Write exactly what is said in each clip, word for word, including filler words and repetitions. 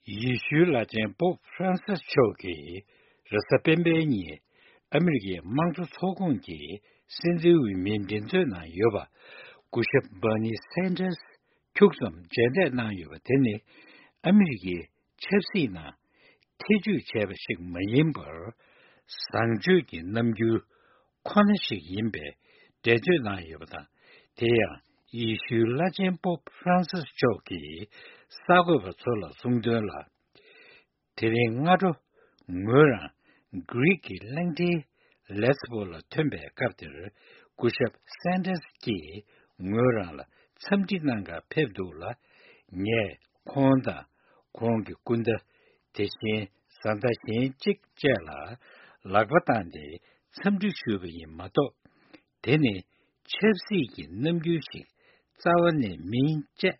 ཡེ་ཤུའི་བླ་ཆེན་པོབ་ཧྥ་རན་སིས་མཆོག་གིས་རེས་གཟའ་སྤེན་པའི་ཉིན་ཨ་མི་རི་ཀའི་དམངས་གཙོ་ཚོགས་ཁོངས་ཀྱི་སྲིད་འཛིན་འོས་མིའི་འགྲན་རྩོད་ནང་ཡོད་པ་སྐུ་ཞབས་བྷར་ནི་སན་ཏར་སི་ཁྱུག་ཙམ་མཇལ་འཕྲད་གནང་ཡོད་པ་དེ་ནི་ཨ་མི་རི་ཀའི་ཆབ་སྲིད་ནང་ཐེ་བྱུས་བྱས་པ་ཞིག་མ་ཡིན་པར། བཟང་སྤྱོད་ཀྱི་རྣམ་འགྱུར་ཁོ་ན་ཞིག་ཡིན་པའི་འགྲེལ་བརྗོད་གནང་ཡོད་པ་དང་། དེ་ཡང་ཡེ་ཤུའི་བླ་ཆེན་པོབ་ཧྥ་རན་སིས་མཆོག་གིས་གསར་འགོད་པ་ཚོ་ལ་གསུངས་དོན་ལ། དེ་རིང་སྔ་དྲོ་ངོས་རང་གྷི་རིག་གི་གླིང་ཕྲན་ལེས་པོ་ལ་ཐོན་པའི་སྐབས་དེར། སྐུ་ཞབས་སན་ཏར་སི་ཀྱིས་ངོས་རང་ལ་འཚམས་འདྲི་གནང་གར་ཕེབས་འདུག་ལ། ངས་ཁོང་དང་ཁོང་གི་སྐུ་ཟླ། དེ་བཞིན་བཟའ་ཟླ་གཞན་གཅིག་བཅས་ལ་ལག་པ་བཏང་སྟེ་འཚམས་འདྲི་ཞུས་པ་ཡིན་མ་གཏོགས། དེ་ནི་ཆབ་སྲིད་ཀྱི་རྣམ་འགྱུར་ཞིག་རྩ་བ་ནས་མིན་ཅེས་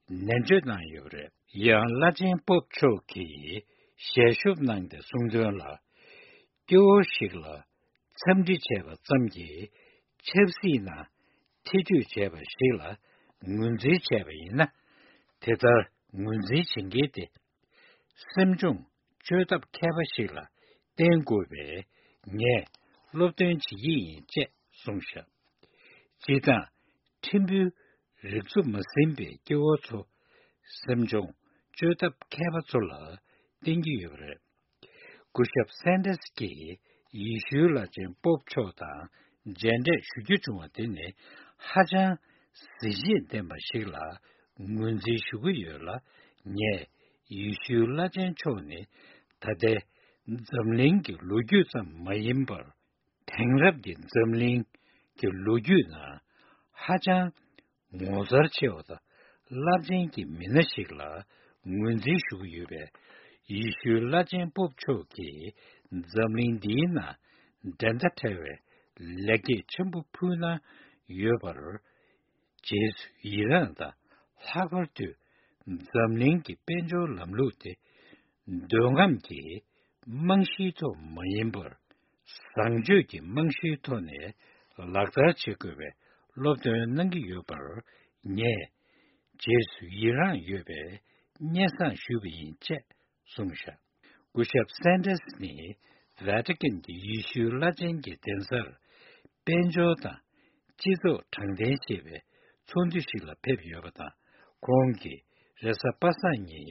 ནན་བརྗོད་གནང་ཡོད་པ་རེད། ཡང་བླ་ཆེན་པོབ་མཆོག་གིས་ཞལ་ཤོབ་གནང་སྟེ་གསུངས་དོན་ལ། སྐྱེ་བོ་ཞིག་ལ་འཚམས་འདྲི་བྱས་པ་ཙམ་གྱིས་ཆབ་སྲིད་ནང་ཐེ་བྱུས་བྱས་པ་ཞིག་ལ་ངོས་འཛིན་བྱས་པ་ཡིན་ན། དེ་ལྟར་ངོས་འཛིན་བྱེད་མཁན་དེ་སེམས་ཆུང་སྤྱོད་ཐབས་མཁས་པ་ཞིག་ལ་བརྟེན་དགོས་པས། ངས་སློབ་སྟོན་བྱེད་ཀྱི་ཡིན་ཅེས་གསུངས་བཞག་སྤྱིར་བཏང་ཕྲན་བུའི་རིག་འཚོ་མ་ཟིན་པའི་སྐྱེ་བོ་ཚོ་སེམས་ཆུང་སྤྱོད་ཐབས་མཁས་པ་ཚོ་ལ་བརྟེན་གྱི་ཡོད་པ་རེད། སྐུ་ཞབས་སན་ཏར་སི་ཀྱིས་ཡེ་ཤུའི་བླ་ཆེན་པོབ་མཆོག་དང་མཇལ་འཕྲད་ཞུ་རྒྱུ་བྱུང་བ་དེ་ནི་ཧ་ཅང་གཟི་བརྗིད་ལྡན་པ་ཞིག་ལ་ངོས་འཛིན་ཞུ་གི་ཡོད་ལ། ངས་ཡེ་ཤུའི་བླ་ཆེན་མཆོག་ནི་ད་ལྟའི་འཛམ་གླིང་གི་ལོ་རྒྱུས་ཙམ་མ་ཡིན་པར། དེང་རབས་ཀྱི་འཛམ་གླིང་གི་ལོ་རྒྱུས་ནང་ཧ་ཅང་ངོ་མཚར་ཆེ་བ་དང་རླབས་ཆེན་གྱི་མི་སྣ་ཞིག་ལ་ངོས་འཛིན་ཞུ་གི་ཡོད་པས། ཡེ་ཤུའི་བླ་ཆེན་པོབ་མཆོག་གིས་འཛམ་གླིང་འདིའི་ནང་འགྲན་ཟླ་བྲལ་བའི་ལེགས་སྐྱེས་ཆེན་པོ་ཕུལ་གནང་ཡོད་པར། རྗེས་སུ་ཡི་རངས་དང་། ལྷག་པར་དུ་འཛམ་གླིང་གི་དཔལ་འབྱོར་ལམ་ལུགས་དེ་འདོད་རྔམ་གྱི་རྨང་གཞིའི་ཐོག་མ་ཡིན་པར། བཟང་སྤྱོད་ཀྱི་རྨང་གཞིའི་ཐོག་ནས་ལག་བསྟར་བྱེད་དགོས་པའི་སློབ་སྟོན་གནང་གི་ཡོད་པར། ངས་རྗེས་སུ་ཡི་རངས་ཡོད་པའི་སྙན་སེང་ཞུས་པ་ཡིན་ཅེས་གསུངས་བཞག་སྐུ་ཞབས་སན་ཏར་སི་ནི་ཝེ་ཏི་ཀན་གྱི་ཡེ་ཤུའི་བླ་ཆེན་གྱི་གདན་སར་དཔལ་འབྱོར་དང་སྤྱི་ཚོགས་དྲང་བདེན་ཞེས་པའི་ཚོགས་འདུ་ཞིག་ལ་ཕེབས་ཡོད་པ་དང་། ཁོང་གིས་རེས་གཟའ་པ་སངས་ཉིན་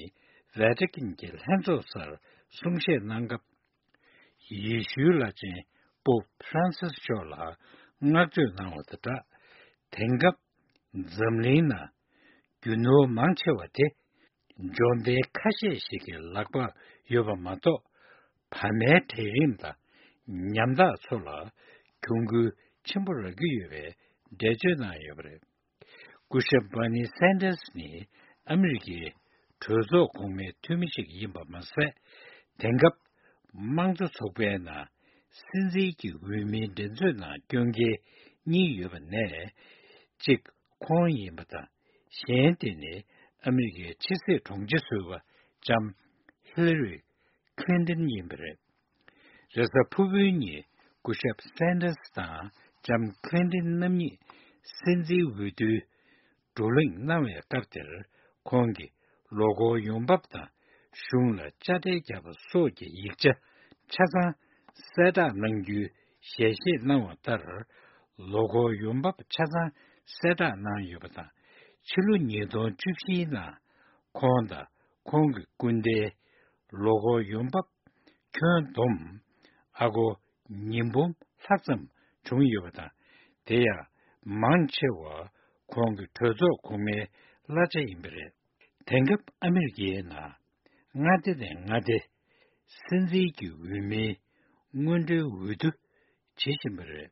ཝེ་ཏི་ཀན་གྱི་ལྷན་ཚོགས་སར་གསུང་བཤད་གནང་སྐབས། ཡེ་ཤུའི་བླ་ཆེན་པོབ་ཧྥ་རན་སིས་མཆོག་ལ་བསྔགས་བརྗོད་གནང་བ་དང་སྦྲགས། དེང་སྐབས་འཛམ་གླིང་ནང་རྒྱུ་ནོར་མང་ཆེ་བ་དེ་འབྱོར་ལྡན་ཁ་ཤས་ཤིག་གི་ལག་པར་ཡོད་པ་མ་གཏོགས། བར་མའི་གྲལ་རིམ་དང་ཉམ་ཐག་ཚོ་ལ་གྱོང་གུན་ཆེན་པོ་རག་གི་ཡོད་པའི་འགྲེལ་བརྗོད་གནང་ཡོད་པ་རེད། སྐུ་ཞབས་བྷར་ནི་སན་ཏར་སི་ནི་ཨ་མི་རི་ཀའི་གྲོས་ཚོགས་གོང་མའི་འཐུས་མི་ཞིག་ཡིན་པ་མ་ཟད། དེང་སྐབས་དམངས་གཙོ་ཚོགས་པའི་ནང་སྲིད་འཛིན་གྱི་འོས་མིའི་འགྲན་རྩོད་ནང་སྐྱོད་མཁན་གཉིས་ཡོད་པ་ནས་གཅིག་ཁོང་ཡིན་པ་དང་། གཞན་དེ་ནི་ཨ་མི་རི་ཀའི་ཕྱི་སྲིད་དྲུང་ཆེ་ཟུར་པ་ལྕམ་ཧི་ལ་རི་ཁི་ལིན་ཏོན་ཡིན་པ་རེད། རེས་གཟའ་ཕུར་བུའི་ཉིན་སྐུ་ཞབས་སན་ཏར་སི་དང་ལྕམ་ཁི་ལིན་ཏོན་རྣམ་གཉིས་སྲིད་འཛིན་འོས་བསྡུའི་བགྲོ་གླེང་གནང་བའི་སྐབས་དེར། ཁོང་གིས་ལོ་འཁོར་ཡོང་འབབ་དང་གཞུང་ལ་དཔྱ་ཁྲལ་བརྒྱབ་པ་སོགས་ཀྱི་ཡིག་ཆ་ཆ་ཚང་གསལ་བསྒྲགས་གནང་རྒྱུའི་ཞལ་བཞེས་གནང་བ་ལྟར། ལོ་འཁོར་ཡོང་འབབ་ཆ་ཚང་གསལ་བསྒྲགས་གནང་ཡོད་པ་དང་། ཕྱི་ལོ་ཉིས་སྟོང་བཅུ་བཞིའི་ནང་ཁོང་དང་ཁོང་གི་སྐུ་ཟླའི་ལོ་འཁོར་ཡོང་འབབ་ཁྱོན་བསྡོམས་ཨ་སྒོར་ཉིས་འབུམ་ལྷག་ཙམ་བྱུང་ཡོད་པ་དང་། དེ་ཡང་མང་ཆེ་བ་ཁོང་གི་གྲོས་ཚོགས་གོང་མའི་གླ་ཆ་ཡིན་པ་རེད། དེང་སྐབས་ཨ་མི་རི་ཀའི་ནང་མངའ་སྡེ་ནས་མངའ་སྡེ་སྲིད་འཛིན་གྱི་འོས་མིའི་སྔོན་འགྲོའི་འོས་བསྡུ་བྱེད་བཞིན་པ་རེད།